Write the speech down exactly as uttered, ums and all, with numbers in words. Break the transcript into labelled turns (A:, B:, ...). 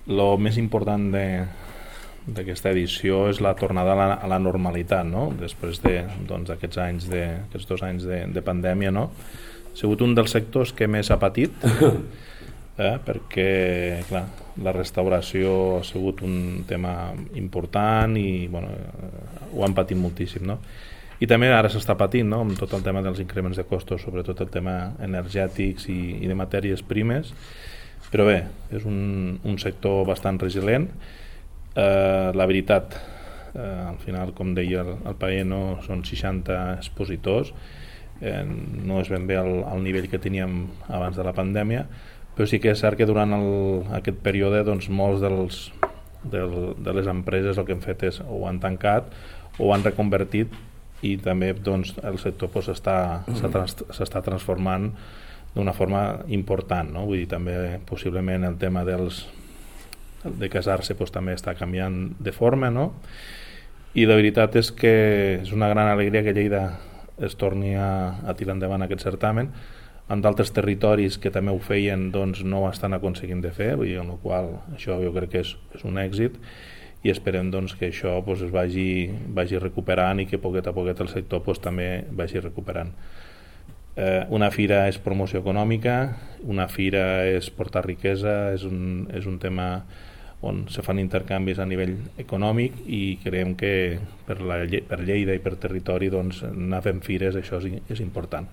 A: el més important de d'aquesta edició és la tornada a la, a la normalitat, no? Després de, doncs, aquests anys de, aquests dos anys de, de pandèmia, no? Ha sigut un dels sectors que més ha patit, eh? Perquè clar, la restauració ha sigut un tema important i bueno, ho han patit moltíssim, no? I també ara s'està patint, no? Amb tot el tema dels increments de costos, sobretot el tema energètics i, i de matèries primes, però bé, és un, un sector bastant resilient. Uh, la veritat, uh, al final, com deia el, el Paller, no, són seixanta expositors, eh, no és ben bé el, el nivell que teníem abans de la pandèmia, però sí que és cert que durant el, aquest període doncs, molts dels, del, de les empreses el que han fet és o han tancat o han reconvertit i també doncs, el sector doncs, està, s'està transformant d'una forma important, no? Vull dir, també possiblement el tema dels de casar-se doncs, també està canviant de forma, no? I la veritat és que és una gran alegria que Lleida es torni a, a tirar endavant aquest certamen. En d'altres territoris que també ho feien doncs, no ho estan aconseguint de fer, vull dir, en el qual això jo crec que és, és un èxit i esperem doncs, que això doncs, es vagi, vagi recuperant i que poquet a poquet el sector doncs, també vagi recuperant. Eh, una fira és promoció econòmica, una fira és portar riquesa, és un, és un tema on se fan intercanvis a nivell econòmic i creiem que per, la, per Lleida i per territori doncs, anar fent fires això és, és important.